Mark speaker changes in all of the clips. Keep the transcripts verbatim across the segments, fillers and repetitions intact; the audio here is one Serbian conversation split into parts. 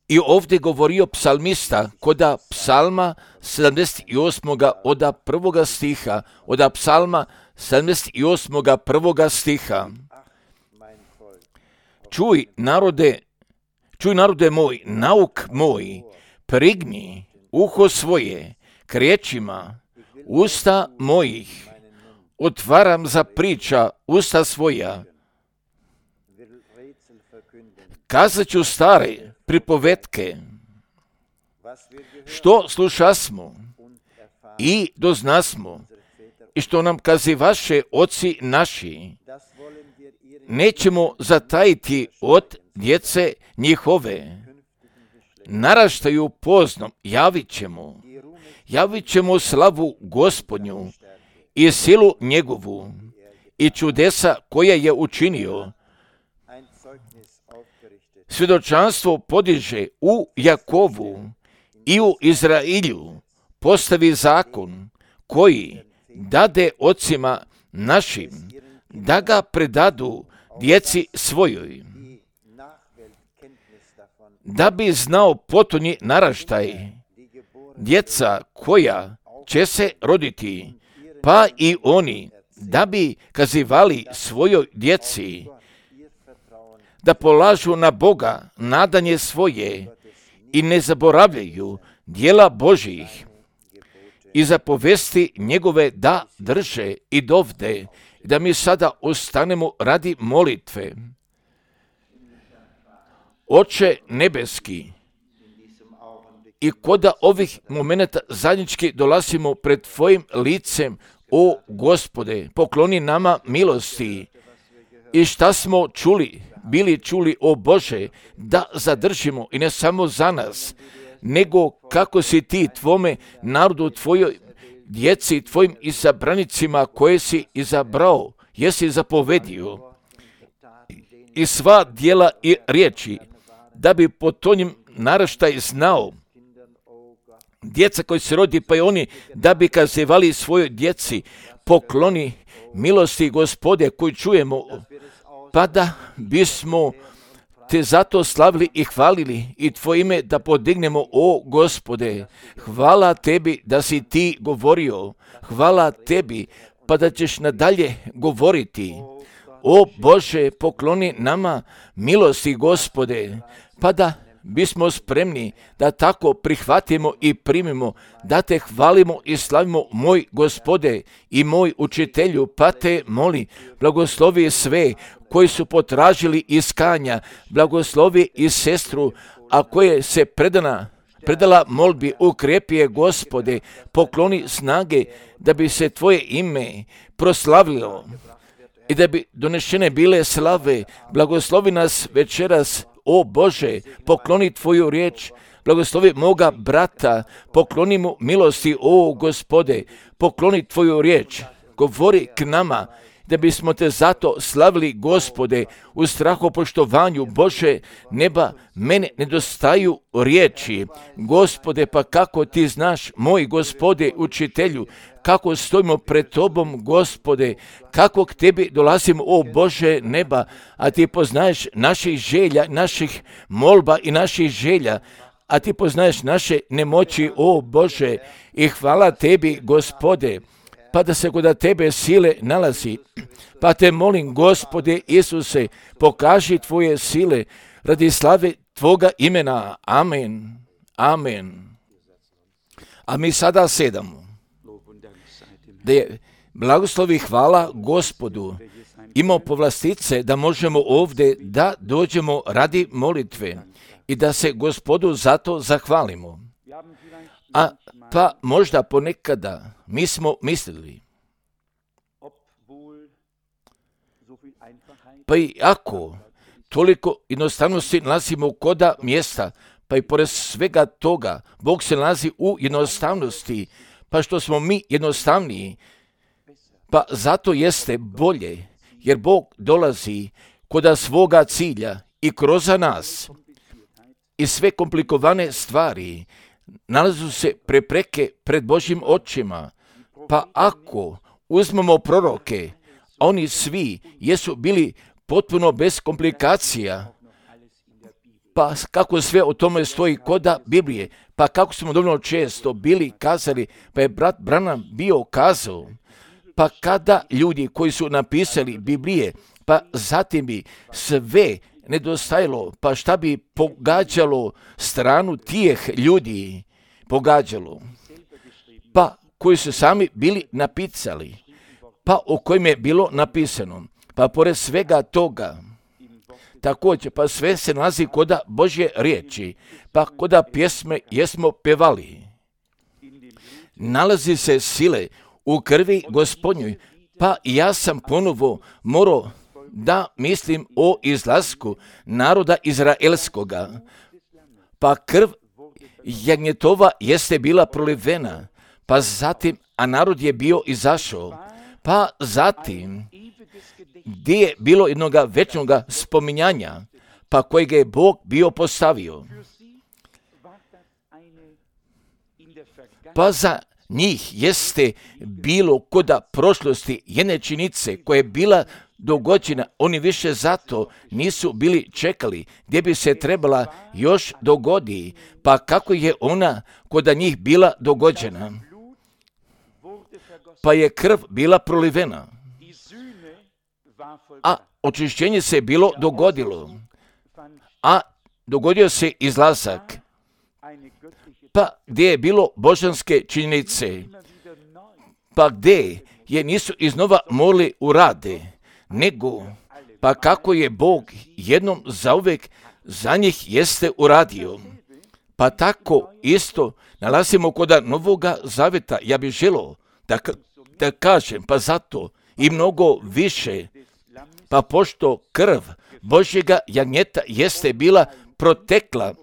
Speaker 1: I ovdje govorio psalmista koda psalma sedamdeset osam. oda prvoga stiha, oda psalma sedamdeset osam. prvoga stiha. Čuj narode, čuj narode moj, nauk moj, prigni uho svoje k riječima usta mojih, otvaram za priča usta svoja. Kazat ću stare pripovetke, što slušasmo i doznasmo, i što nam kazivaše oci naši, nećemo zatajiti od djece njihove. Naraštaju poznom, javit ćemo, javit ćemo slavu Gospodnju i silu njegovu i čudesa koja je učinio. Svjedočanstvo podiže u Jakovu i u Izrailju, postavi zakon koji dade ocima našim, da ga predadu djeci svojoj, da bi znao potonji naraštaj, djeca koja će se roditi, pa i oni, da bi kazivali svojoj djeci, da polažu na Boga nadanje svoje i ne zaboravljaju djela Božjih i zapovesti njegove da drže i dovde, da mi sada ostanemo radi molitve. Oče nebeski, i koda ovih momenata zajednički dolazimo pred Tvojim licem, o Gospode, pokloni nama milosti i šta smo čuli, bili čuli, o Bože, da zadržimo i ne samo za nas, nego kako si ti Tvome narodu, Tvojoj djeci, Tvojim izabranicima koje si izabrao, jesi zapovedio, i sva djela i riječi, da bi potonjim naraštaj znao, djeca koji se rodi, pa i oni, da bi kazivali svojoj djeci, pokloni milosti Gospode koji čujemo, pa da bismo te zato slavili i hvalili i Tvoje ime da podignemo, o Gospode. Hvala Tebi da si Ti govorio, hvala Tebi pa da ćeš nadalje govoriti. O Bože, pokloni nama milosti Gospode, pa da bismo spremni da tako prihvatimo i primimo, da te hvalimo i slavimo, moj Gospode i moj učitelju, pa te moli, blagoslovi sve koji su potražili iskanja, blagoslovi i sestru, a koje se predana, predala molbi, ukrepi je, Gospode, pokloni snage da bi se Tvoje ime proslavilo i da bi donešene bile slave. Blagoslovi nas večeras, o Bože, pokloni Tvoju riječ, blagoslovi moga brata, pokloni mu milosti, o Gospode, pokloni Tvoju riječ, govori k nama, da bismo te zato slavili, Gospode, u strahopoštovanju. Bože neba, mene nedostaju riječi, Gospode, pa kako Ti znaš, moj Gospode, učitelju, kako stojimo pred Tobom, Gospode, kako k Tebi dolazimo, o Bože neba, a Ti poznaješ naših želja, naših molba i naših želja, a Ti poznaješ naše nemoći, o Bože, i hvala Tebi, Gospode, pa da se kod Tebe sile nalazi. Pa te molim, Gospode Isuse, pokaži Tvoje sile radi slave Tvoga imena. Amen. Amen. A mi sada sedamo. Da je blagoslovi hvala Gospodu imao povlastice da možemo ovdje da dođemo radi molitve i da se Gospodu zato zahvalimo. A pa možda ponekada mi smo mislili, pa i ako toliko jednostavnosti nalazimo koda mjesta, pa i pored svega toga, Bog se nalazi u jednostavnosti, pa što smo mi jednostavniji, pa zato jeste bolje, jer Bog dolazi koda svoga cilja i kroz nas. I sve komplikovane stvari nalazu se prepreke pred Božjim očima, pa ako uzmemo proroke, oni svi jesu bili potpuno bez komplikacija, Pa kako sve o tome stoji koda Biblije, pa kako smo dovoljno često bili kazali, pa je brat Branham bio kazao, pa kada ljudi koji su napisali Biblije, pa zatim bi sve nedostajalo, pa šta bi pogađalo stranu tih ljudi, pogađalo, pa koji su sami bili napisali, pa o kojim je bilo napisano, pa pored svega toga, također, pa sve se nalazi koda Božje riječi, pa koda pjesme jesmo pevali. Nalazi se sile u krvi Gospodnjoj, pa ja sam ponovo morao da mislim o izlasku naroda Izraelskoga, pa krv jagnjetova jeste bila prolivena, pa zatim, a narod je bio izašao, pa zatim, gdje je bilo jednoga večnoga spominjanja, pa kojega je Bog bio postavio. Pa za njih jeste bilo koda prošlosti jedne činice koja je bila dogođena, oni više zato nisu bili čekali gdje bi se trebala još dogodi, pa kako je ona koda njih bila dogođena, pa je krv bila prolivena, a očišćenje se bilo dogodilo, a dogodio se izlazak, pa gdje je bilo božanske činjenice, pa gdje je nisu iznova morali urade, nego pa kako je Bog jednom zauvek za njih jeste uradio. Pa tako isto nalazimo koda Novoga Zaveta, ja bih želio da, da kažem, pa zato i mnogo više, pa pošto krv Božjega jagnjeta jeste bila protekla,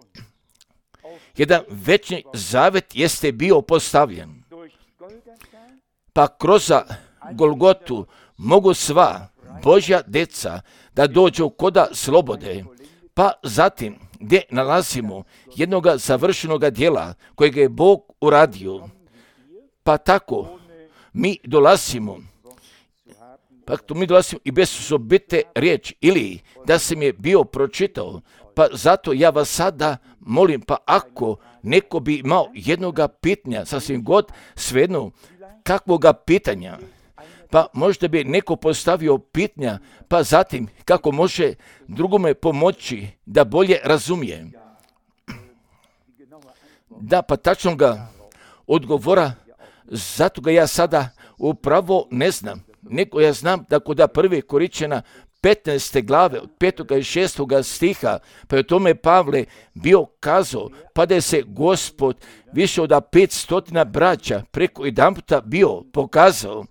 Speaker 1: jedan večni zavet jeste bio postavljen, pa kroz Golgotu mogu sva Božja deca da dođu koda slobode, pa zatim gdje nalazimo jednoga završenoga djela kojega je Bog uradio, pa tako mi dolazimo, pa to mi dolazimo i bez osobite riječi, ili da sam je bio pročitao, pa zato ja vas sada molim, pa ako neko bi imao jednoga pitanja, sasvim god svejedno kakvoga pitanja, pa možda bi neko postavio pitanja, pa zatim kako može drugome pomoći da bolje razumije. Da, pa tačno ga odgovora, zato ga ja sada upravo ne znam, nego ja znam da kod prve Koričana petnaeste glave od petoga i šestoga stiha, pa je o tome Pavle bio kazao, pa da je se Gospod više od petstotina braća preko jedan puta bio pokazao,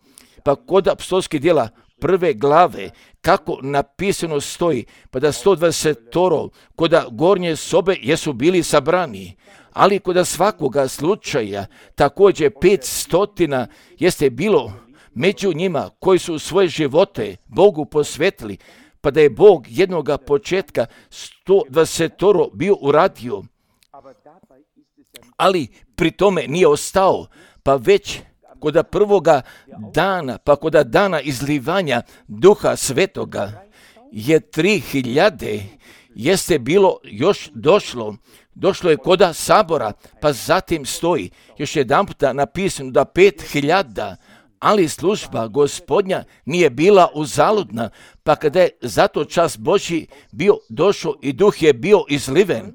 Speaker 1: pa kod apostolskih djela prve glave, kako napisano stoji, pa da sto dvadesetoro koda gornje sobe jesu bili sabrani, ali kod svakoga slučaja također petstotina jeste bilo među njima koji su svoje živote Bogu posvetili, pa da je Bog jednoga početka sto dvadesetoro bio uradio, ali pri tome nije ostao, pa već koda prvoga dana, pa koda dana izlivanja Duha Svetoga je tri hiljade jeste bilo još došlo, došlo je koda sabora, pa zatim stoji još jedan puta napisano da pet hiljada, ali služba Gospodnja nije bila uzaludna, pa kada je zato čas Božji bio došao i Duh je bio izliven,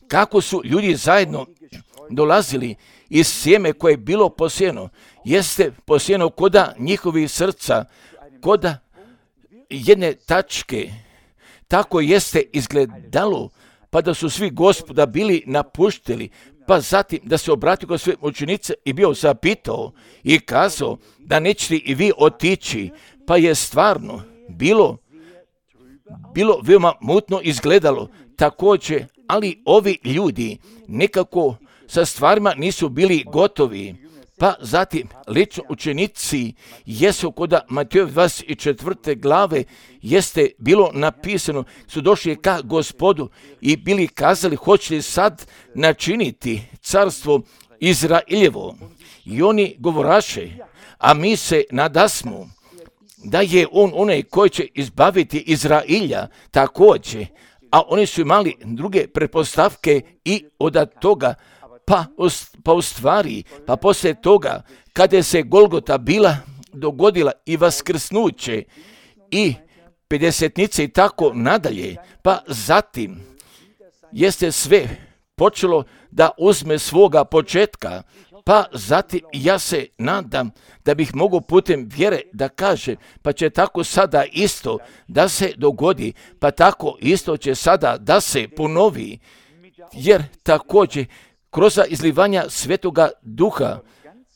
Speaker 1: kako su ljudi zajedno dolazili iz sjeme koje je bilo posijeno, jeste posijeno koda njihovih srca, koda jedne tačke, tako jeste izgledalo, pa da su svi Gospoda bili napuštili, pa zatim da se obratio kod sve učenice i bio zapitao i kazao da nećete i vi otići, pa je stvarno bilo, bilo veoma mutno izgledalo također, ali ovi ljudi nekako sa stvarima nisu bili gotovi, pa zatim lično učenici jesu koda Matejove dvadeset četvrte glave jeste bilo napisano, su došli ka Gospodu i bili kazali hoće li sad načiniti carstvo Izraeljevo. I oni govoraše, a mi se nadasmo da je on onaj koji će izbaviti Izraelja također, a oni su imali druge pretpostavke i od toga, pa, pa u stvari, pa poslije toga, kada je se Golgota bila dogodila i vaskrsnuće i pedesetnice i tako nadalje, pa zatim jeste sve počelo da uzme svoga početka, pa zatim ja se nadam da bih mogao putem vjere da kaže, pa će tako sada isto da se dogodi, pa tako isto će sada da se ponovi, jer također kroz izlivanja Svetoga Duha,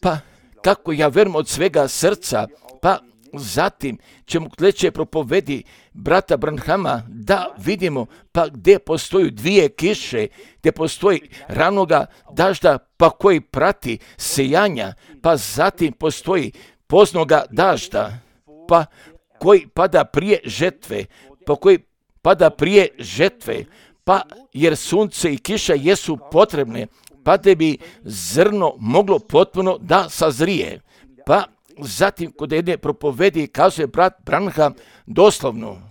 Speaker 1: pa kako ja verujem od svega srca, pa zatim ćemo kleće propovedi brata Branhama da vidimo pa gdje postoju dvije kiše, gdje postoji ranoga dažda pa koji prati sejanja, pa zatim postoji poznoga dažda pa koji pada prije žetve, pa koji pada prije žetve, pa jer sunce i kiša jesu potrebne, pa da bi zrno moglo potpuno da sazrije. Pa zatim kod jedne propovedi kazuje brat Branham doslovno,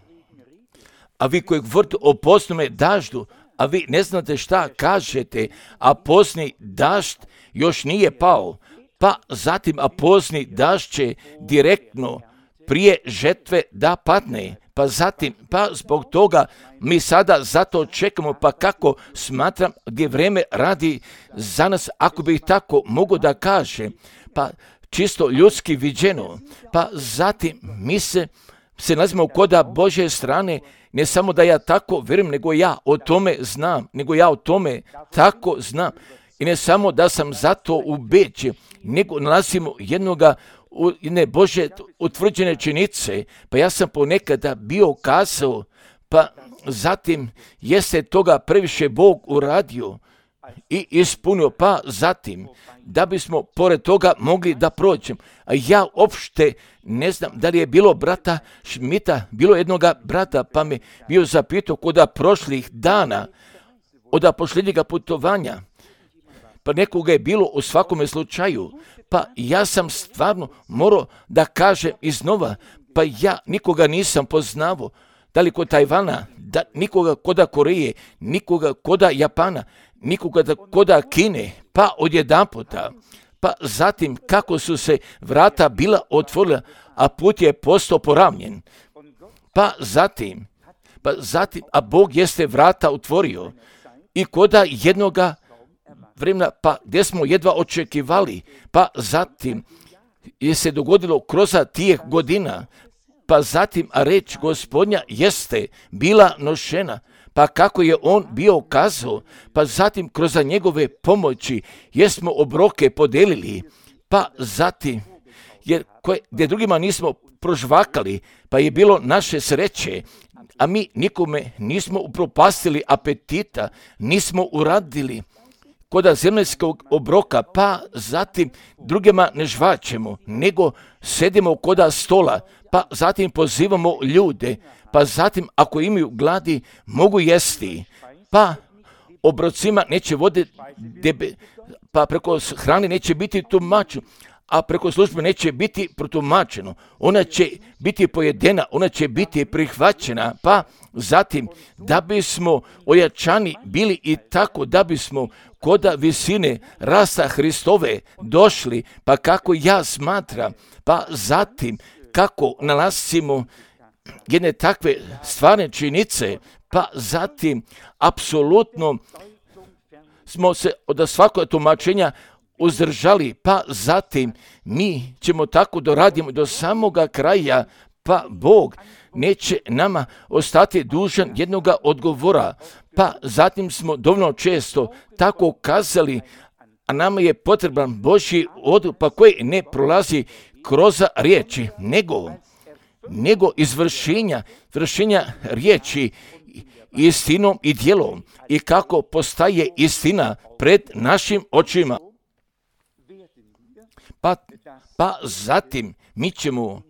Speaker 1: a vi koji govorite o poznome daždu, a vi ne znate šta kažete, a pozni dažd još nije pao, pa zatim a pozni dažd će direktno prije žetve da padne, pa zatim, pa zbog toga mi sada zato čekamo, pa kako smatram gdje vreme radi za nas, ako bih tako mogu da kažem, pa čisto ljudski viđeno, pa zatim mi se, se nalazimo koda Božje strane, ne samo da ja tako vjerujem, nego ja o tome znam, nego ja o tome tako znam. I ne samo da sam zato ubeđen, nego nalazimo jednoga u jedne Božje utvrđene činjenice, pa ja sam ponekada bio kazao, pa zatim jeste toga previše Bog uradio i ispunio, pa zatim da bismo pored toga mogli da prođem. A ja uopšte ne znam da li je bilo brata Šmita, bilo jednoga brata, pa me bio zapitao koda prošlih dana od posljednjega putovanja, pa nekoga je bilo u svakome slučaju, pa ja sam stvarno morao da kažem iznova, pa ja nikoga nisam poznavao, da li kod Tajvana, da, nikoga koda Koreje, nikoga koda Japana, nikoga koda Kine, pa odjedanputa, pa zatim kako su se vrata bila otvorila, a put je postao poravnjen, pa zatim, pa zatim, a Bog jeste vrata otvorio i koda jednoga vremena, pa gdje smo jedva očekivali, pa zatim je se dogodilo kroz tijeh godina, pa zatim a reč Gospodnja jeste bila nošena, pa kako je on bio kazao, pa zatim kroz njegove pomoći jesmo obroke podelili, pa zatim jer koje, gdje drugima nismo prožvakali, pa je bilo naše sreće, a mi nikome nismo upropastili apetita, nismo uradili koda zemaljskog obroka, pa zatim drugima ne žvačemo, nego sedimo koda stola, pa zatim pozivamo ljude, pa zatim ako imaju gladi mogu jesti, pa obrocima neće vode, debe, pa preko hrane neće biti tumačeno, a preko službe neće biti protumačeno, ona će biti pojedena, ona će biti prihvaćena, pa zatim da bismo ojačani bili i tako da bismo koda visine rasta Hristove došli, pa kako ja smatram, pa zatim kako nalazimo jedne takve stvarne činjenice, pa zatim apsolutno smo se od svakog tumačenja uzdržali, pa zatim mi ćemo tako doraditi do samoga kraja, pa Bog neće nama ostati dužan jednoga odgovora, pa zatim smo dovoljno često tako kazali, a nama je potreban Božji odgovor, pa koji ne prolazi kroz riječi, nego, nego izvršenja, vršenja riječi istinom i djelom i kako postaje istina pred našim očima. Pa, pa zatim mi ćemo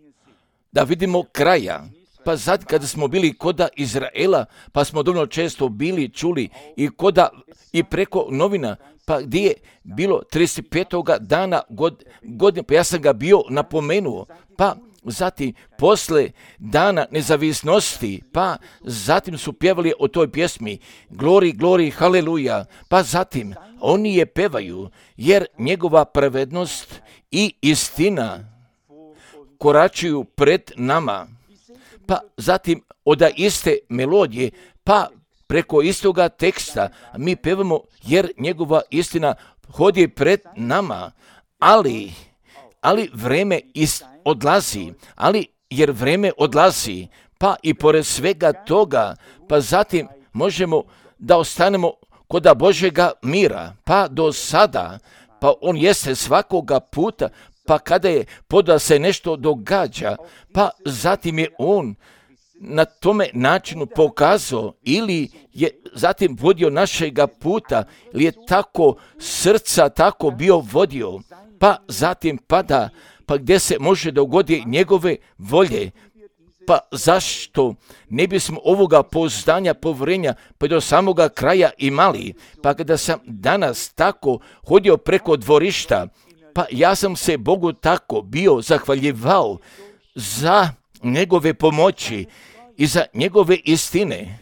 Speaker 1: da vidimo kraja. Pa zatim kada smo bili koda Izraela, pa smo dovoljno često bili čuli i koda i preko novina, pa gdje je bilo trideset petog dana god, godine, pa ja sam ga bio napomenuo, pa zatim posle dana nezavisnosti, pa zatim su pjevali o toj pjesmi Glori, glori, haleluja, pa zatim oni je pevaju jer njegova pravednost i istina koračuju pred nama, pa zatim od iste melodije, pa preko istoga teksta mi pevamo jer njegova istina hodi pred nama, ali, ali vreme ist, odlazi, ali jer vreme odlazi, pa i pored svega toga, pa zatim možemo da ostanemo kod Božjega mira, pa do sada, pa on jeste svakoga puta, pa kada je poda se nešto događa, pa zatim je on na tome načinu pokazao ili je zatim vodio našega puta, ili je tako srca tako bio vodio, pa zatim pada, pa gdje se može dogodi njegove volje, pa zašto ne bismo ovoga pouzdanja, povjerenja pa do samoga kraja imali, pa kada sam danas tako hodio preko dvorišta, pa ja sam se Bogu tako bio zahvaljivao za njegove pomoći i za njegove istine,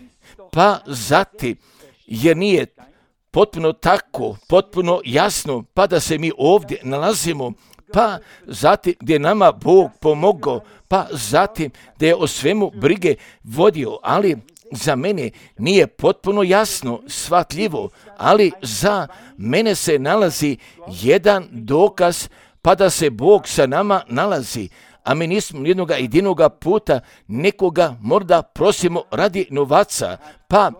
Speaker 1: pa zatim jer nije potpuno tako, potpuno jasno, pa da se mi ovdje nalazimo, pa zatim gdje nama Bog pomogao, pa zatim da je o svemu brige vodio, ali za mene nije potpuno jasno, shvatljivo, ali za mene se nalazi jedan dokaz, pa da se Bog sa nama nalazi, a mi nismo jednoga jedinoga puta nekoga možda prosimo radi novaca, pa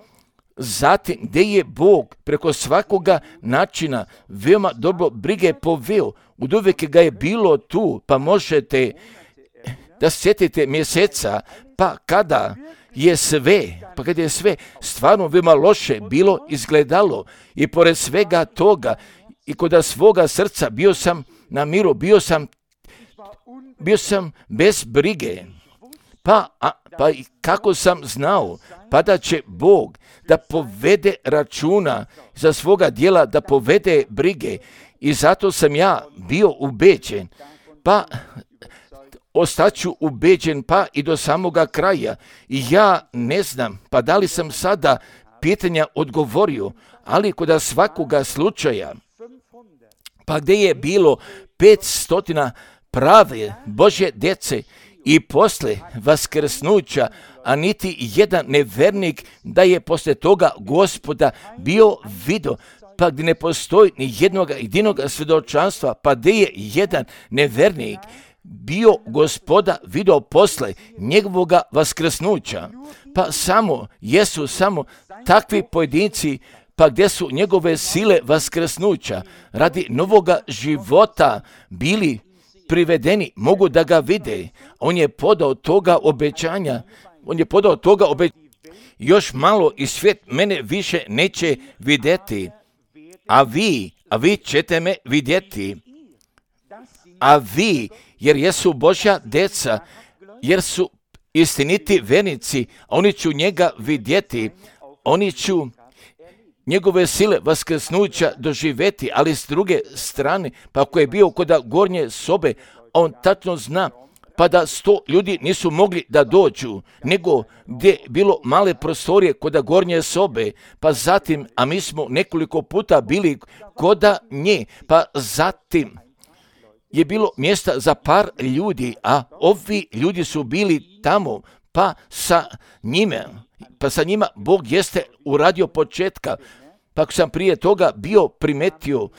Speaker 1: zatim gdje je Bog preko svakoga načina veoma dobro brige poveo, od uvijek ga je bilo tu, pa možete da sjetite mjeseca, pa kada je sve, pa kada je sve stvarno veoma loše bilo izgledalo i pored svega toga i kod svoga srca bio sam na miru, bio sam bio sam bez brige, pa, a, pa i kako sam znao, pa da će Bog da povede računa za svoga djela, da povede brige i zato sam ja bio ubeđen, pa ostaću ubeđen pa i do samoga kraja i ja ne znam, pa da li sam sada pitanja odgovorio, ali kod svakoga slučaja, pa gdje je bilo petstotina prave Božje djece i posle vaskrsnuća, a niti jedan nevernik da je posle toga Gospoda bio vidio, pa gdje ne postoji ni jednog jedinog svjedočanstva, pa gdje je jedan nevernik bio Gospoda vidio posle njegovoga vaskrsnuća, pa samo jesu samo takvi pojedinci, pa gdje su njegove sile vaskrsnuća radi novoga života bili privedeni, mogu da ga vide. On je podao toga obećanja, on je podao toga obećanja. Još malo i svijet mene više neće vidjeti, a vi, a vi ćete me vidjeti. A vi, jer jesu Božja deca, jer su istiniti vernici, oni će njega vidjeti, oni će njegove sile vaskrsnuća doživjeti, ali s druge strane, pa ako je bio kod gornje sobe, on tačno zna, pa da sto ljudi nisu mogli da dođu, nego gdje je bilo male prostorije kod gornje sobe, pa zatim, a mi smo nekoliko puta bili kod nje, pa zatim je bilo mjesta za par ljudi, a ovi ljudi su bili tamo, pa sa njime, pa sa njima Bog jeste uradio početka, pa sam prije toga bio primetio,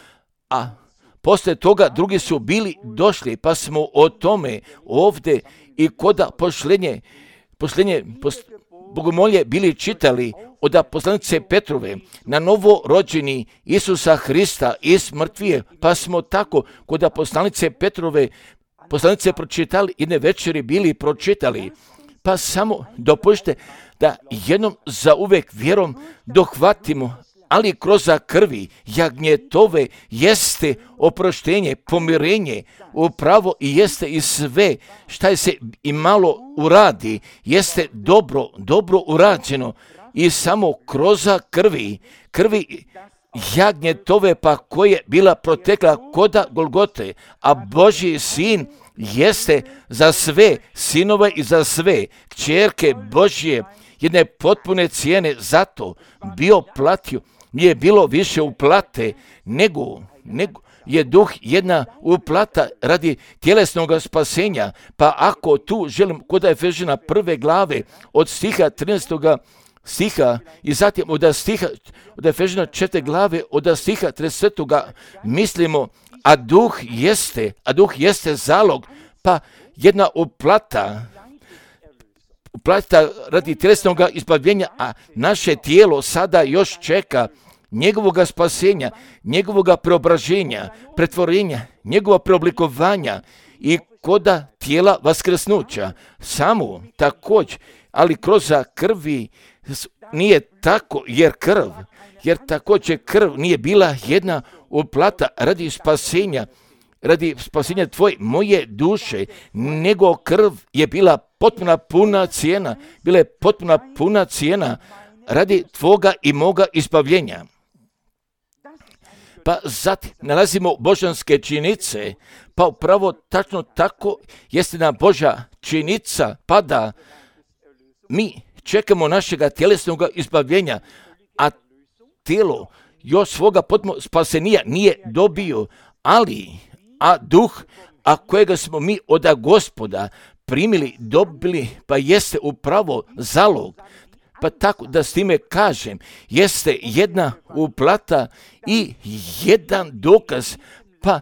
Speaker 1: a poslije toga drugi su bili došli, pa smo o tome ovdje i koda pošlenje, pošlenje pos, bogomolje bili čitali od poslanice Petrove na novorođeni Isusa Hrista iz mrtvije, pa smo tako kod poslanice Petrove poslanice pročitali, jedne večeri bili pročitali, pa samo dopušte da jednom za uvek vjerom dohvatimo, ali kroz krvi jagnjetove jeste oproštenje, pomirenje, upravo i jeste i sve šta se i malo uradi, jeste dobro, dobro urađeno i samo kroz krvi, krvi jagnjetove pa koje bila protekla koda Golgote, a Božji sin jeste za sve sinove i za sve kćerke Božje jedne potpune cijene, zato bio platio, nije bilo više uplate, nego, nego je duh jedna uplata radi tjelesnog spasenja. Pa ako tu želim kod Efežana prve glave od stiha trinaestog stiha i zatim od stiha od Efežana četvrte glave od stiha tridesetog mislimo, a duh jeste, a duh jeste zalog, pa jedna uplata uplata radi tjelesnog izbavljenja, a naše tijelo sada još čeka njegovog spasenja, njegovog preobraženja, pretvorenja, njegova preoblikovanja i koda tijela vaskrsnuća. Samo također, ali kroz krvi nije tako, jer krv, jer također krv nije bila jedna uplata radi spasenja, radi spasenja tvoje, moje duše, nego krv je bila potpuna puna cijena, bila je potpuna puna cijena radi tvoga i moga izbavljenja. Pa zatim nalazimo božanske činjenice, pa upravo tačno tako jeste na Božja činjenica, pa da mi čekamo našega tjelesnog izbavljenja, a tijelo još svoga potpuno spasenija nije dobio, ali, a duh, a kojega smo mi od Gospoda primili, dobili, pa jeste upravo zalog. Pa tako da s time kažem, jeste jedna uplata i jedan dokaz, pa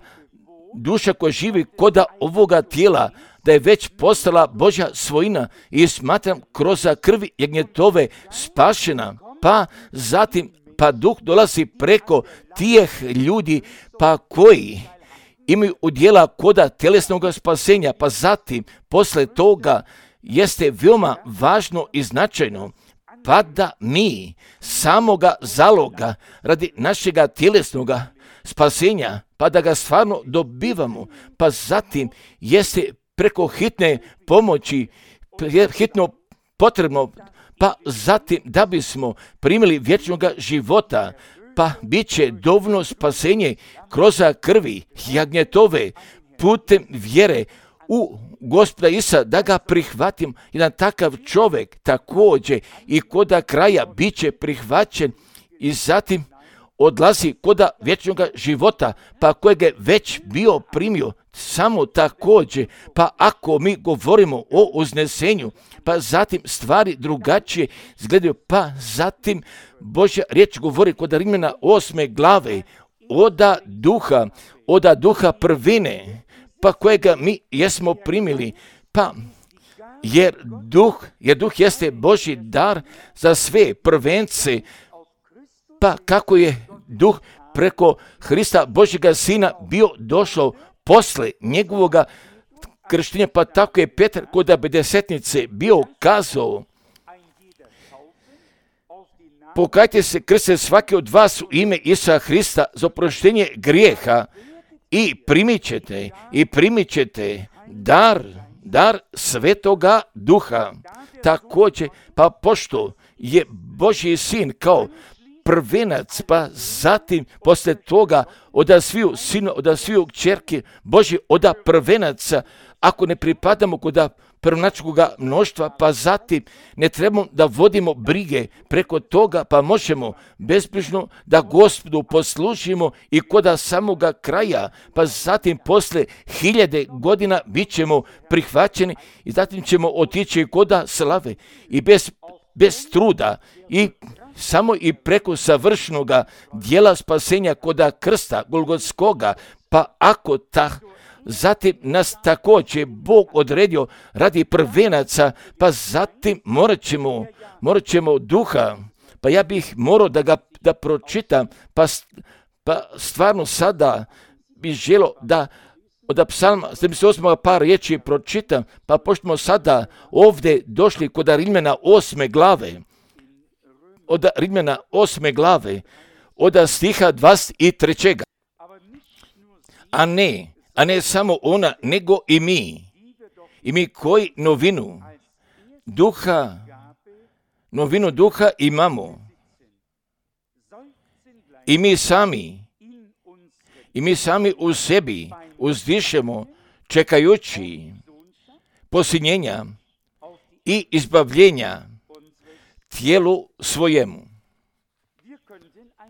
Speaker 1: duša koja živi koda ovoga tijela, da je već postala Božja svojina i smatram kroz krvi jagnjetove spašena, pa zatim, pa duh dolazi preko tih ljudi, pa koji imaju udjela koda tjelesnog spasenja, pa zatim, posle toga, jeste veoma važno i značajno, pa da mi samoga zaloga radi našega tjelesnog spasenja, pa da ga stvarno dobivamo, pa zatim jeste preko hitne pomoći, hitno potrebno, pa zatim da bismo primili vječnog života, pa bit će dovoljno spasenje kroz krvi jagnjetove putem vjere u Gospoda Isusa, da ga prihvatim. Jedan takav čovjek također i koda kraja bit će prihvaćen i zatim odlazi koda vječnog života, pa kojeg je već bio primio. Samo također, pa ako mi govorimo o uznesenju, pa zatim stvari drugačije izgledaju, pa zatim Božja riječ govori kod Rimljana osme glave, oda duha, oda duha prvine, pa kojega mi jesmo primili, pa jer duh, jer duh jeste Božji dar za sve prvence, pa kako je duh preko Hrista Božjega Sina bio došao posle njegovoga krštenja, pa tako je Petar kod pedesetnice bio kazao, pokajte se, krste svaki od vas u ime Isusa Hrista za oproštenje grijeha i primit ćete, i primit ćete dar, dar Svetoga Duha. Također, pa pošto je Božji Sin kao prvenac, pa zatim posle toga oda sviju sinu, oda sviju kćerke Božji, oda prvenaca, ako ne pripadamo kod prvonačkog mnoštva, pa zatim ne trebamo da vodimo brige preko toga, pa možemo bezbrižno da Gospodu poslužimo i koda samoga kraja, pa zatim posle hiljade godina bit ćemo prihvaćeni i zatim ćemo otići koda slave i bez, bez truda i samo i preko savršenoga dijela spasenja koda krsta Golgotskoga, pa ako ta zatim nas također Bog odredio radi prvenaca, pa zatim morat ćemo, morat ćemo duha, pa ja bih morao da ga da pročitam, pa, pa stvarno sada bih želio da od psalma sedamdeset osam par riječi pročitam, pa pošto smo sada ovdje došli kod Rimljana osme glave, od Rimljana osme glave, od stiha dvadeset tri. A ne, a ne samo ona, nego i mi. I mi koji novinu duha, novinu duha imamo. I mi sami, i mi sami u sebi uzdišemo čekajući posinjenja i izbavljenja tijelu svojemu.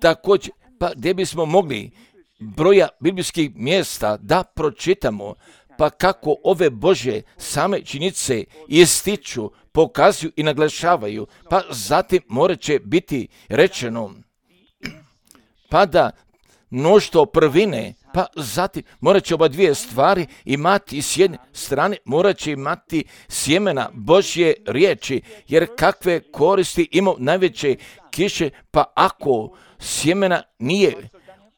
Speaker 1: Također, pa gdje bismo mogli broja biblijskih mjesta da pročitamo, pa kako ove Božje same činjenice ističu, pokazuju i naglašavaju, pa zatim morat će biti rečeno, pa da mnoštvo prvine, pa zatim morat će oba dvije stvari imati s jedne strane, morat će imati sjemena Božje riječi, jer kakve koristi ima najveće kiše, pa ako sjemena nije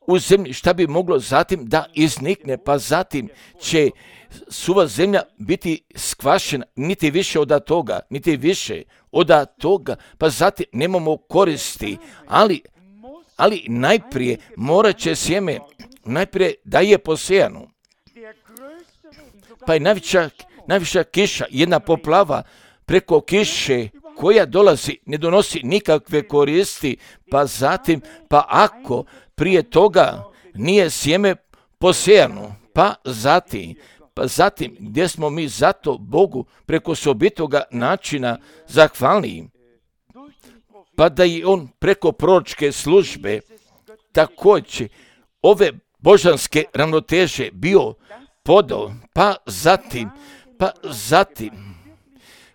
Speaker 1: u zemlji, šta bi moglo zatim da iznikne, pa zatim će suva zemlja biti skvašena, niti više od toga, niti više od toga, pa zatim nemamo koristi, ali, ali najprije morat će sjeme, najprije da je posejano, pa je najviša, najviša kiša, jedna poplava preko kiše koja dolazi, ne donosi nikakve koristi, pa zatim, pa ako prije toga nije sjeme posejano, pa zatim, pa zatim gdje smo mi zato Bogu preko sobitoga načina zahvalni, pa da i on preko proročke službe također ove božanske ravnoteže bio podao, pa zatim, pa zatim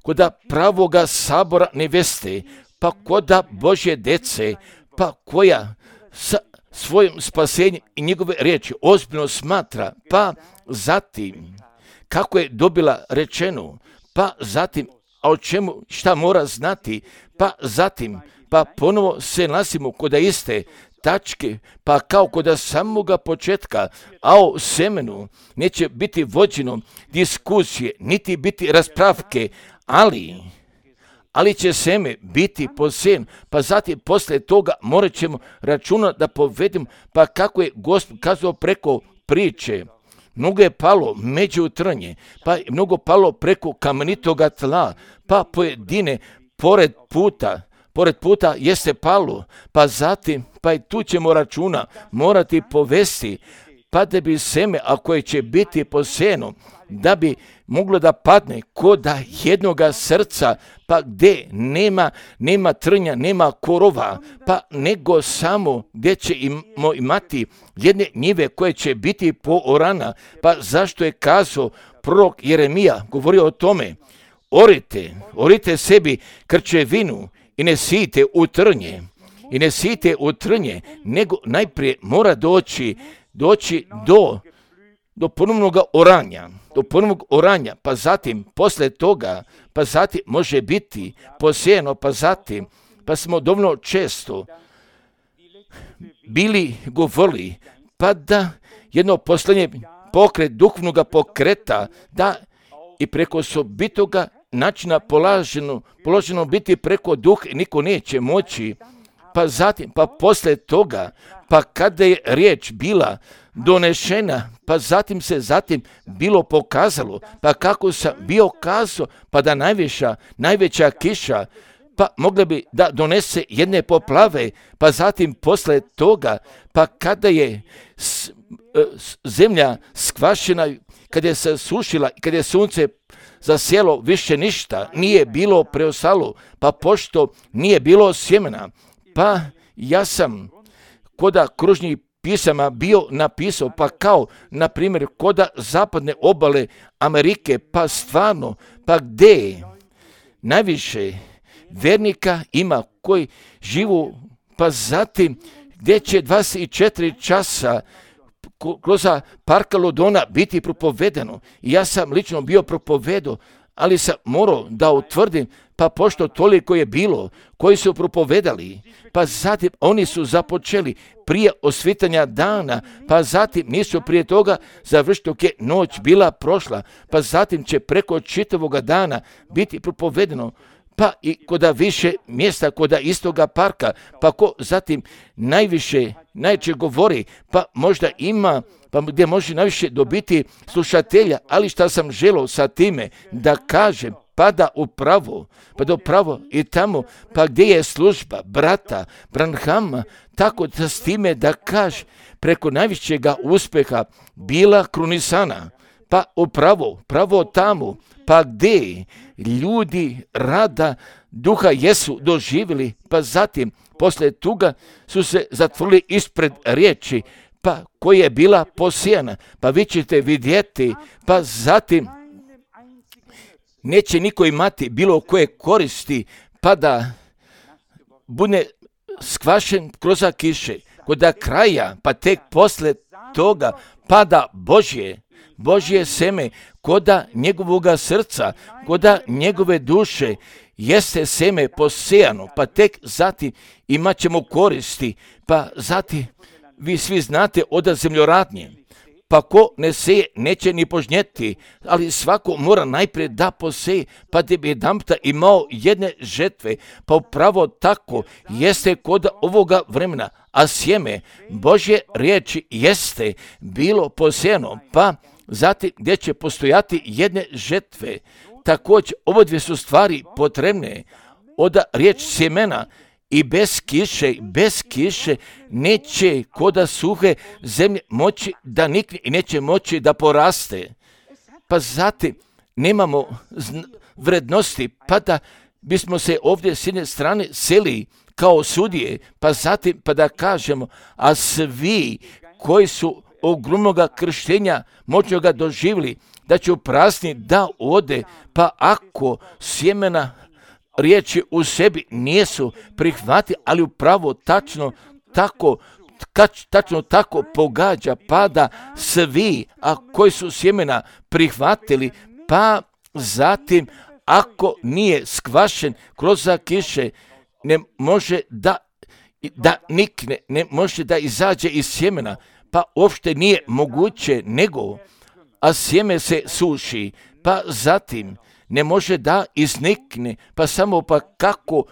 Speaker 1: koda pravoga sabora neveste, pa koda Božje dece, pa koja sa svojim spasenjem i njegove riječi ozbiljno smatra, pa zatim kako je dobila rečeno, pa zatim a o čemu šta mora znati, pa zatim pa ponovo se nalazimo kod iste tačke, pa kao kod samoga početka, a o semenu neće biti vođeno diskusije, niti biti raspravke, ali ali će seme biti posejano, pa zatim poslije toga morat ćemo računati da povedemo, pa kako je Gospod kazao preko priče. Mnogo je palo među trnje, pa je mnogo palo preko kamenitoga tla, pa pojedine pored puta, pored puta jeste palo, pa zatim, pa i tu ćemo računa morati povesti, pa da bi seme, ako je će biti posejano, da bi moglo da padne kod jednoga srca, pa gdje nema, nema trnja, nema korova, pa nego samo gdje ćemo imati jedne njive koje će biti poorana, pa zašto je kazao prorok Jeremija, govorio o tome, orite, orite sebi krčevinu i ne sijte u trnje, i ne sijte u trnje, nego najprije mora doći, doći do do ponovnog oranja, do ponovnog oranja, pa zatim, posle toga, pa zatim može biti posejano, pa zatim, pa smo dovoljno često bili govorili, pa da jedno poslanje pokret duhovnog pokreta, da i preko sobitoga načina polaženo, položeno biti preko duha, niko neće moći, pa zatim, pa posle toga, pa kada je riječ bila donešena, pa zatim se zatim bilo pokazalo, pa kako sam bio kazao, pa da najviša, najveća kiša, pa mogla bi da donese jedne poplave, pa zatim posle toga, pa kada je s, s, zemlja skvašena, kada je se sušila, kada je sunce zasjelo, više ništa nije bilo preostalo, pa pošto nije bilo sjemena, pa ja sam koda kružnih pisama bio napisao, pa kao, na primjer, koda zapadne obale Amerike, pa stvarno, pa gdje najviše vernika ima koji živu, pa zatim gdje će dvadeset četiri časa kroz parka Lodona biti propovedano. I ja sam lično bio propovedao, ali sam morao da utvrdim, pa pošto toliko je bilo koji su propovedali, pa zatim oni su započeli prije osvitanja dana, pa zatim nisu prije toga završiti dok je noć bila prošla, pa zatim će preko čitavoga dana biti propovedeno, pa i koda više mjesta, koda istoga parka, pa ko zatim najviše, najče govori, pa možda ima, pa gdje može najviše dobiti slušatelja, ali šta sam želio sa time da kažem, pada upravo, pa do pravo i tamo, pa gdje je služba brata Branhama, tako da s time da kaže preko najvišćega uspjeha bila krunisana, pa upravo, pravo tamo, pa gdje ljudi rada duha jesu doživjeli, pa zatim poslije toga su se zatvorili ispred riječi, pa koja je bila posijana, pa vi ćete vidjeti, pa zatim neće niko imati bilo koje koristi, pa da bude skvašen kroz kiše, kod kraja, pa tek poslije toga pada Božje, Božje seme, koda njegovoga srca, koda njegove duše, jeste seme posijano, pa tek zatim imat ćemo koristi, pa zatim vi svi znate od zemljoradnje, pa ko ne seje neće ni požnjeti, ali svako mora najprije da poseje, pa da bi jedanputa imao jedne žetve, pa upravo tako jeste kod ovoga vremena, a sjeme Božje riječi jeste bilo posejano, pa zatim gdje će postojati jedne žetve. Također, ovo dvije su stvari potrebne, od riječ sjemena i bez kiše, bez kiše neće koda suhe zemlje moći da nikne i neće moći da poraste. Pa zatim nemamo vrednosti, pa da bismo se ovdje s jedne strane seli kao sudije, pa zatim pa da kažemo, a svi koji su ogromnoga krštenja moćnoga doživjeli, da će uprazni da ode, pa ako sjemena riječi u sebi nisu prihvati, ali upravo tačno tako, kač, tačno tako pogađa, pa da svi, a koji su sjemena prihvatili, pa zatim ako nije skvašen kroz kiše, ne može da, da nikne, ne može da izađe iz sjemena, pa uopšte nije moguće nego, a sjeme se suši, pa zatim ne može da iznikne, pa samo pa kako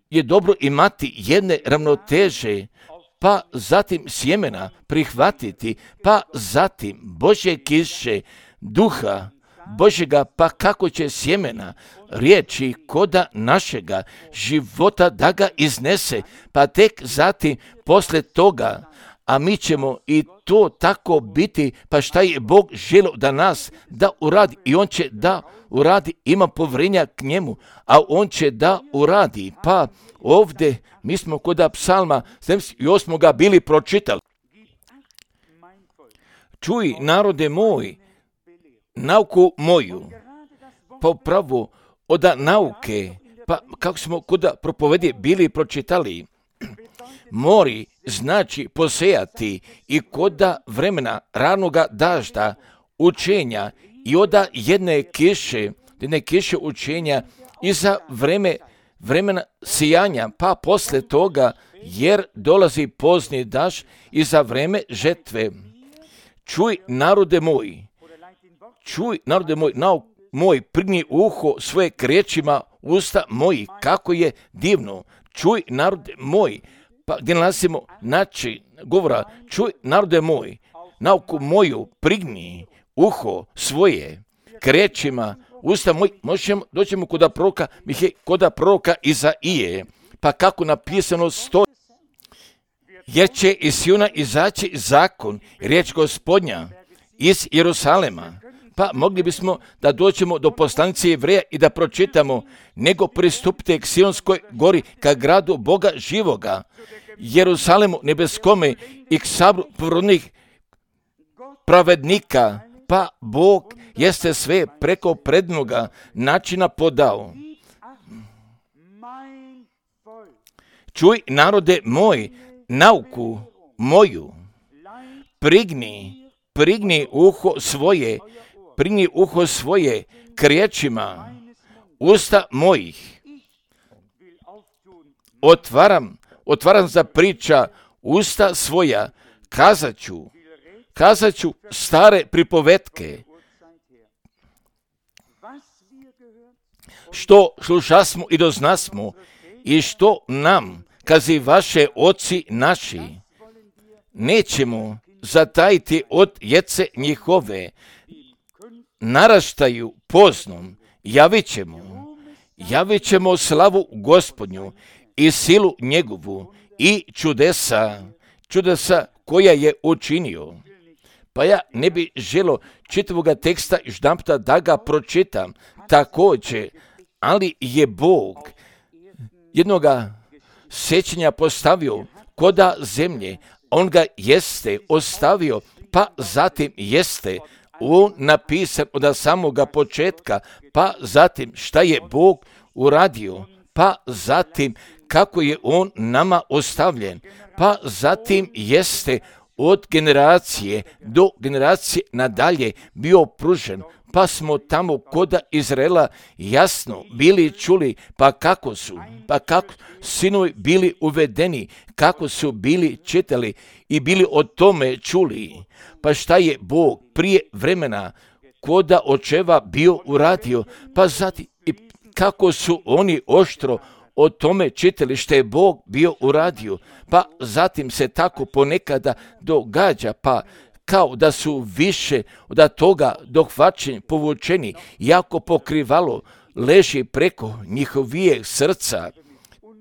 Speaker 1: je dobro imati jedne ravnoteže, pa zatim sjemena prihvatiti, pa zatim Božje kiše, duha Božjega, pa kako će sjemena riječi koda našega života da ga iznese, pa tek zatim posle toga, a mi ćemo i to tako biti, pa šta je Bog želio da nas da uradi, i On će da uradi, ima povjerenja k njemu, a On će da uradi. Pa ovdje mi smo kod psalma sedamdeset osam bili pročitali. Čuj, narode moj, nauku moju, pa upravo od nauke, pa kako smo kod propovedi bili pročitali, mori znači posejati i koda vremena ranoga dažda, učenja i oda jedne kiše, jedne kiše učenja i za vreme, vremena sijanja, pa posle toga, jer dolazi pozni daž i za vreme žetve. Čuj, narode moj, čuj, narode moj, nauk moj, prigni uho svoje k riječima usta moji, kako je divno. Čuj, narode moj, pa gdje nalazimo znači govora, čuj, narode moj, nauku moju, prigni uho svoje k riječima usta moji. Možemo, doćemo kod proroka, kod proroka Izaije, pa kako napisano stoji, jer će iz Siona izaći zakon, riječ Gospodnja iz Jerusalema. Pa mogli bismo da dođemo do poslanice Jevreja i da pročitamo, nego pristupite k Sionskoj gori, ka gradu Boga živoga, Jerusalemu nebeskome i k sabru prorocnih pravednika, pa Bog jeste sve preko prednoga načina podao. Čuj, narode moj, nauku moju, prigni, prigni uho svoje, prigni uho svoje k riječima usta mojih. Otvaram, otvaram za priča usta svoja, kazat ću, kazat ću stare pripovetke, što slušasmo i doznasmo i što nam kazi vaše oci naši. Nećemo zatajiti od jece njihove, naraštaju poznom, javit ćemo, javit ćemo slavu Gospodnju i silu njegovu i čudesa, čudesa koja je učinio. Pa ja ne bi želo čitavoga teksta jedanputa da ga pročitam također, ali je Bog jednoga sjećanja postavio koda zemlje, on ga jeste ostavio, pa zatim jeste on napisan od samoga početka, pa zatim šta je Bog uradio, pa zatim kako je on nama ostavljen, pa zatim jeste od generacije do generacije nadalje bio pružen, pa smo tamo koda Izraela jasno bili čuli, pa kako su, pa kako sinovi bili uvedeni, kako su bili čitali i bili o tome čuli, pa šta je Bog prije vremena koda očeva bio uradio, pa zatim i kako su oni oštro o tome čitali što je Bog bio uradio, pa zatim se tako ponekada događa, pa kao da su više od toga dohvaćeni, povučeni, jako pokrivalo leži preko njihovijeg srca,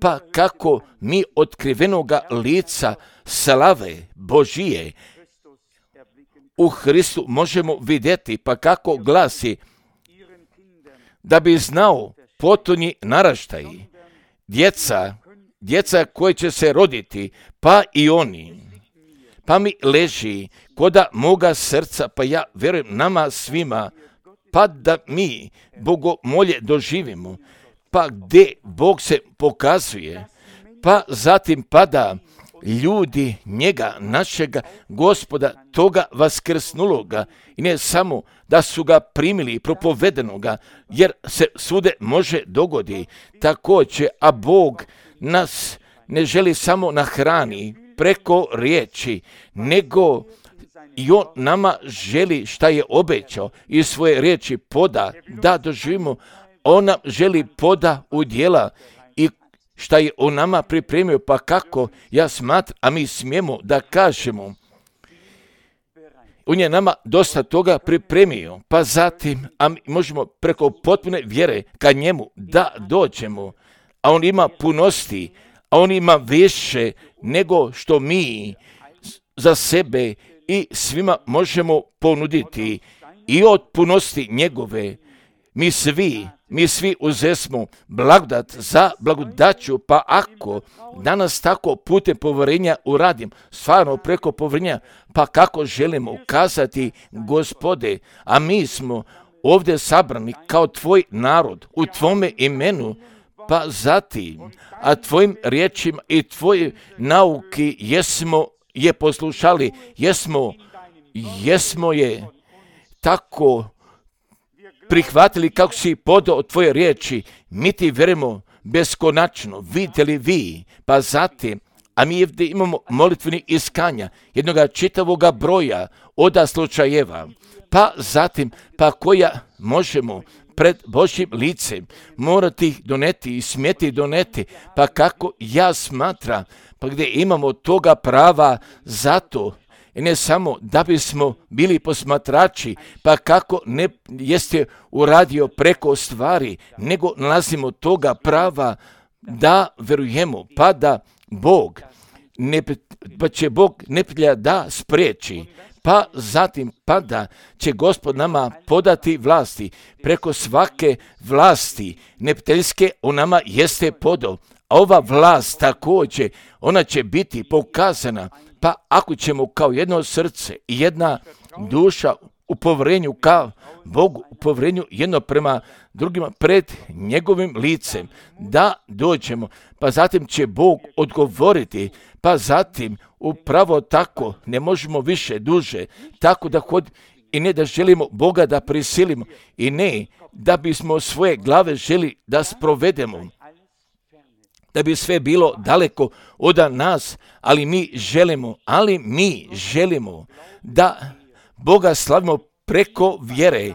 Speaker 1: pa kako mi otkrivenoga lica slave Božije u Hristu možemo vidjeti, pa kako glasi, da bi znao potonji naraštaj, djeca, djeca koje će se roditi, pa i oni, pa mi leži koda moga srca, pa ja vjerujem nama svima, pa da mi bogomolje doživimo, pa gdje Bog se pokazuje, pa zatim pada ljudi njega, našega Gospoda, toga vaskrsnuloga, i ne samo da su ga primili propovedenoga, jer se svude može dogodi također, a Bog nas ne želi samo na hrani preko riječi, nego i on nama želi šta je obećao i svoje riječi poda da doživimo. On nam želi poda u djela i šta je on nama pripremio, pa kako ja smatram, a mi smijemo da kažemo, on je nama dosta toga pripremio, pa zatim, a mi možemo preko potpune vjere ka njemu da dođemo, a on ima punosti, a on ima više nego što mi za sebe i svima možemo ponuditi, i od punosti njegove mi svi, mi svi uzesmo blagodat za blagodaću, pa ako danas tako putem povjerenja uradim, stvarno preko povjerenja, pa kako želimo ukazati, Gospode, a mi smo ovdje sabrani kao tvoj narod u tvome imenu, pa zatim, a tvojim riječima i tvoje nauki jesmo je poslušali, jesmo, jesmo je tako prihvatili kako si podao tvoje riječi, mi ti vjerujemo beskonačno, vidite li vi, pa zatim, a mi ovdje imamo molitveni iskanja, jednoga čitavoga broja oda slučajeva, pa zatim, pa koja možemo pred Božjim licem morati ih doneti i smjeti doneti, pa kako ja smatram, pa gdje imamo toga prava zato, i ne samo da bismo bili posmatrači, pa kako ne jeste uradio preko stvari, nego nalazimo toga prava da verujemo, pa da Bog, ne, pa će Bog neprijatelja da spriječi, pa zatim pa da će Gospod nama podati vlasti, preko svake vlasti neprijateljske on nama jeste podao, a ova vlast također, ona će biti pokazana, pa ako ćemo kao jedno srce i jedna duša u povjerenju kao Bogu, u povjerenju jedno prema drugima pred njegovim licem, da dođemo, pa zatim će Bog odgovoriti, pa zatim upravo tako ne možemo više duže, tako da hod i ne da želimo Boga da prisilimo i ne da bismo svoje glave želi da sprovedemo, da bi sve bilo daleko od nas, ali mi želimo, ali mi želimo da Boga slavimo preko vjere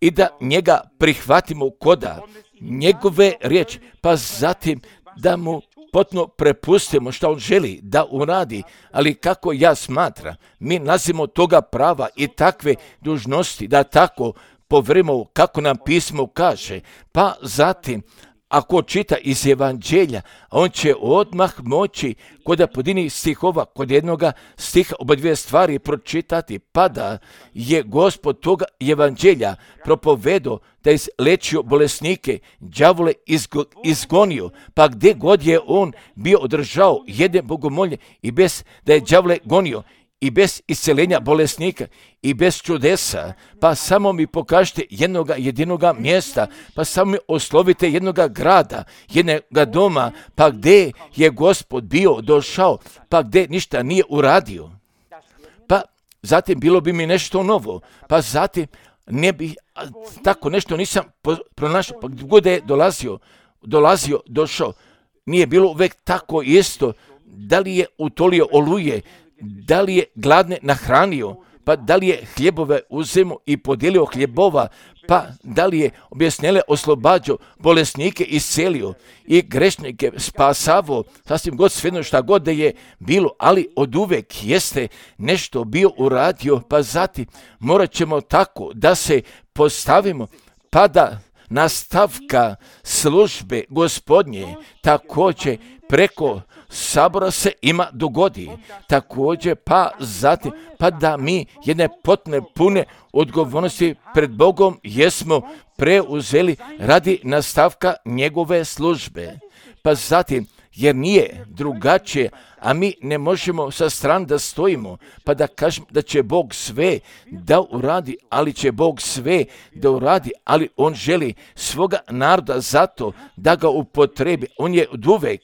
Speaker 1: i da njega prihvatimo koda njegove riječi, pa zatim da mu potpuno prepustimo što on želi da uradi, ali kako ja smatram, mi nalazimo toga prava i takve dužnosti da tako povjerimo kako nam pismo kaže, pa zatim, ako čita iz evanđelja, on će odmah moći kod pojedinih stihova, kod jednoga stiha oba dvije stvari pročitati, pa da je Gospod toga evanđelja propovedo da je lečio bolesnike, đavole izgo, izgonio, pa gdje god je on bio održao jedne bogomolje i bez da je đavole gonio, i bez isceljenja bolesnika, i bez čudesa, pa samo mi pokažite jednoga jedinoga mjesta, pa samo mi oslovite jednoga grada, jednoga doma, pa gdje je Gospod bio došao, pa gdje ništa nije uradio. Pa zatim bilo bi mi nešto novo, pa zatim ne bi, tako nešto nisam pronašao, pa gdje god je dolazio, dolazio, došao, nije bilo uvijek tako isto, da li je utolio oluje, da li je gladne nahranio, pa da li je hljebove uzemo i podijelio hljebova, pa da li je objesnele oslobađao, bolesnike iscelio i grešnike spasavo, sasvim god svejedno šta god da je bilo, ali od uvek jeste nešto bio uradio, pa zatim morat ćemo tako da se postavimo, pa da nastavka službe Gospodnje također preko sabora se ima dogodi. Također pa zatim, pa da mi jedne potne pune odgovornosti pred Bogom jesmo preuzeli radi nastavka njegove službe. Pa zatim, jer nije drugačije, a mi ne možemo sa strane da stojimo, pa da kažemo da će Bog sve da uradi, ali će Bog sve da uradi, ali On želi svoga naroda zato da ga upotrebi. On je od uvek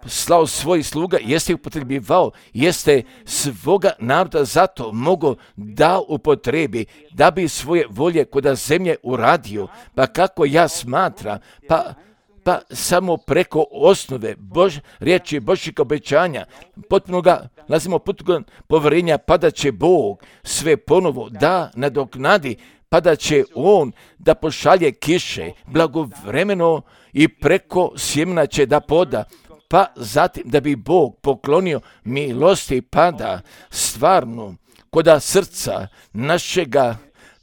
Speaker 1: slao svojih sluga, jeste ih upotrebivao, jeste svoga naroda zato mogo da upotrebi, da bi svoje volje kod zemlje uradio. Pa kako ja smatram, pa pa samo preko osnove Bož, riječi Božjeg obećanja, potpuno ga lazimo potpuno povjerenja, pa da će Bog sve ponovo da nadoknadi, pa da će On da pošalje kiše blagovremeno i preko sjemena će da poda, pa zatim da bi Bog poklonio milosti, pa da stvarno koda srca našega,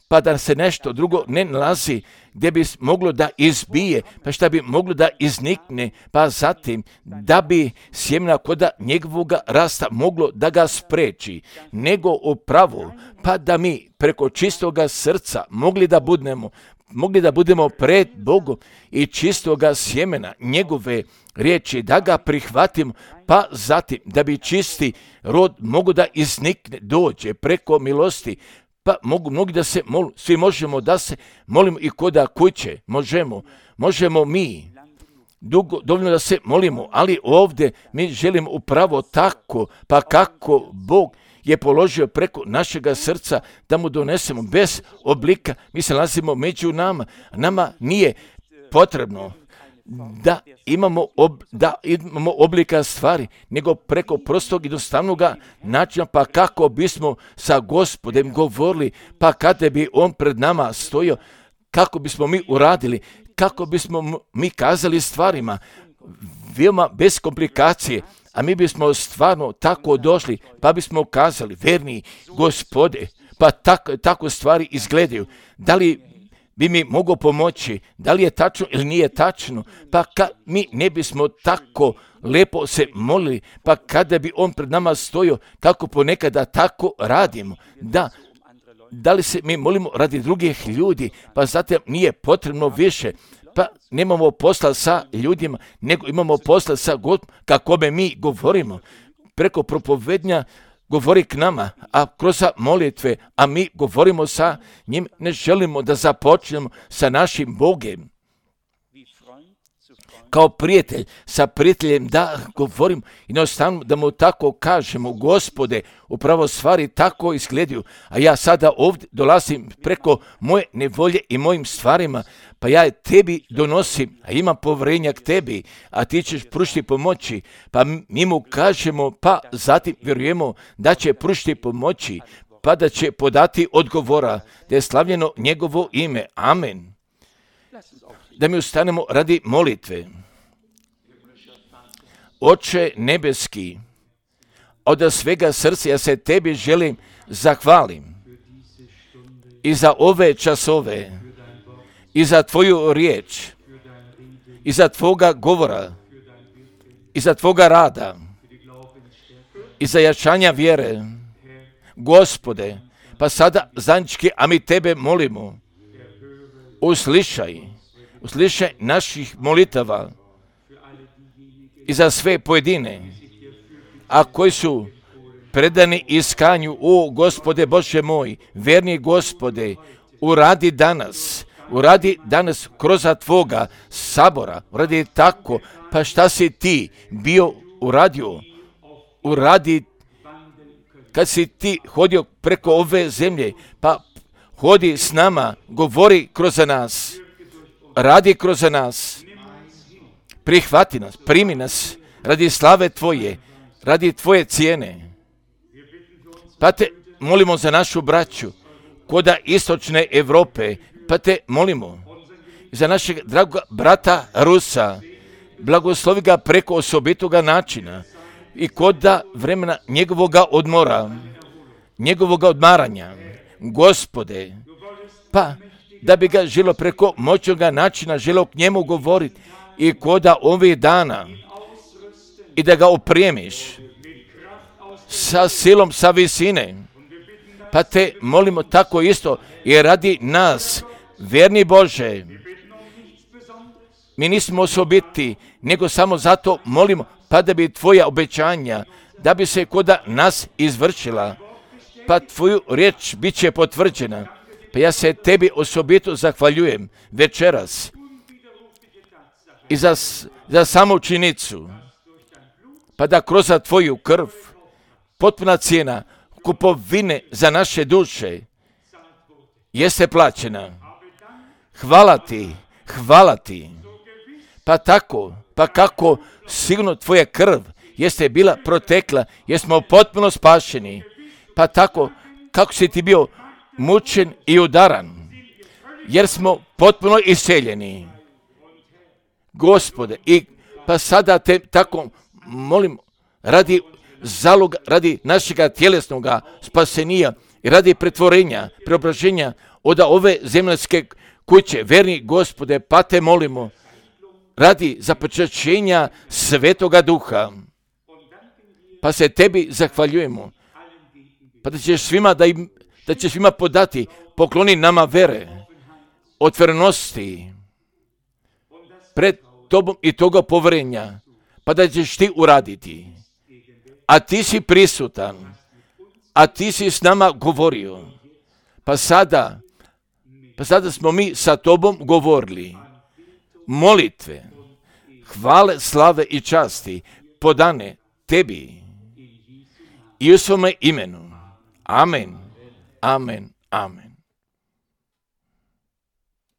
Speaker 1: pa da se nešto drugo ne nalazi gdje bi moglo da izbije, pa šta bi moglo da iznikne, pa zatim da bi sjemena koda njegovoga rasta moglo da ga spreči, nego upravo, pa da mi preko čistoga srca mogli da budemo, mogli da budemo pred Bogom i čistoga sjemena njegove riječi, da ga prihvatimo, pa zatim da bi čisti rod mogu da iznikne, dođe preko milosti. Pa mogu mnogi da se molu, svi možemo da se molimo i koda kuće, možemo, možemo mi dugo, dovoljno da se molimo, ali ovdje mi želimo upravo tako, pa kako Bog je položio preko našega srca da mu donesemo bez oblika, mi se nalazimo među nama, nama nije potrebno da imamo, ob, da imamo oblika stvari, nego preko prostog i jednostavnog načina, pa kako bismo sa Gospodem govorili, pa kada bi On pred nama stojio, kako bismo mi uradili, kako bismo mi kazali stvarima, veoma bez komplikacije, a mi bismo stvarno tako došli, pa bismo kazali, verni Gospode, pa tako, tako stvari izgledaju, da li bi mi mogao pomoći, da li je tačno ili nije tačno, pa kad mi ne bismo tako lepo se molili, pa kada bi On pred nama stojio, kako ponekada tako radimo, da, da li se mi molimo radi drugih ljudi, pa zatim nije potrebno više, pa nemamo posla sa ljudima, nego imamo posla sa Gospodom, kako me mi govorimo, preko propovednja govori k nama, a kroz molitve, a mi govorimo sa njim, ne želimo da započnemo sa našim Bogem. Kao prijatelj, sa prijateljem da govorim i jednostavno da mu tako kažemo, Gospode, upravo stvari tako izgledaju, a ja sada ovdje dolazim preko moje nevolje i mojim stvarima, pa ja tebi donosim, a imam povjerenja k tebi, a ti ćeš pružiti pomoći, pa mi mu kažemo, pa zatim vjerujemo da će pružiti pomoći, pa da će podati odgovora, da je slavljeno njegovo ime. Amen. Da mi ustanemo radi molitve. Oče nebeski, od svega srca ja se tebi želim zahvalim i za ove časove, i za tvoju riječ, iza Tvoga govora, iza Tvoga rada, iza jačanja vjere. Gospode, pa sada zajednički, a mi Tebe molimo, uslišaj, uslišaj naših molitava i za sve pojedine, a koji su predani iskanju, o Gospode Bože moj, verni Gospode, uradi danas, uradi danas kroz Tvoga sabora, uradi tako, pa šta si Ti bio uradio, uradi kad si Ti hodio preko ove zemlje, pa hodi s nama, govori kroz nas, radi kroz nas, prihvati nas, primi nas, radi slave Tvoje, radi Tvoje cijene. Pa Te molimo za našu braću, koda istočne Europe, pa Te molimo za našeg dragog brata Rusa, blagoslovi ga preko osobitoga načina i koda vremena njegovoga odmora, njegovoga odmaranja. Gospode, pa da bi ga želo preko moćnoga načina, želo k njemu govoriti i koda ovih dana i da ga opremiš sa silom sa visine. Pa Te molimo tako isto i radi nas, vjerni Bože, mi nismo osobiti, nego samo zato molimo, pa da bi Tvoja obećanja, da bi se koda nas izvršila, pa Tvoju riječ bit će potvrđena. Pa ja se Tebi osobito zahvaljujem večeras i za, za samu činjenicu, pa da kroz Tvoju krv, potpuna cijena kupovine za naše duše jeste plaćena. Hvala Ti, hvala Ti. Pa tako, pa kako sigurno Tvoja krv jeste bila protekla, jer smo potpuno spašeni. Pa tako, kako si Ti bio mučen i udaran, jer smo potpuno iseljeni. Gospode, i pa sada Te tako molim, radi zaloga, radi našega tjelesnog spasenija i radi pretvorenja, preobraženja od ove zemljske kuće, verni Gospode, pa Te molimo, radi započećenja Svetoga Duha, pa se Tebi zahvaljujemo, pa da ćeš svima, da im, da ćeš svima podati, pokloni nama vere, otvorenosti pred Tobom i toga povjerenja, pa da ćeš Ti uraditi. A Ti si prisutan, a Ti si s nama govorio, pa sada, pa sada smo mi sa Tobom govorili. Molitve, hvale, slave i časti podane Tebi i u svome imenu. Amen, amen, amen.